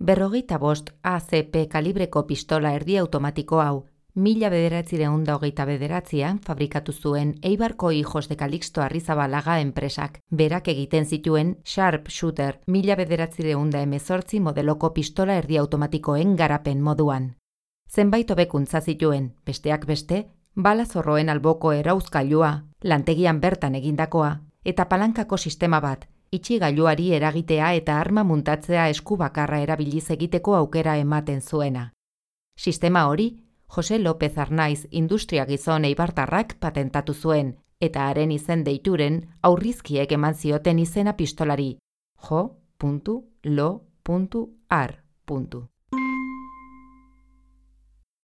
45 ACP kalibreko pistola erdi automatiko hau 1929an fabrikatu zuen Eibarko Hijos de Calixto Arrizabalaga enpresak, berak egiten zituen Sharpshooter 1918 modeloko pistola erdi automatikoen garapen moduan. Zenbait hobekuntza zituen, besteak beste, bala zorroen alboko erauzgailua, lantegian bertan egindakoa, eta palankako sistema bat, itxigailuari eragitea eta arma muntatzea esku bakarra erabiliz egiteko aukera ematen zuena. Sistema hori, Jose López Arnaiz industria gizon eibartarrak patentatu zuen, eta haren izen deituren aurrizkiek eman zioten izena pistolari, jo.lo.ar.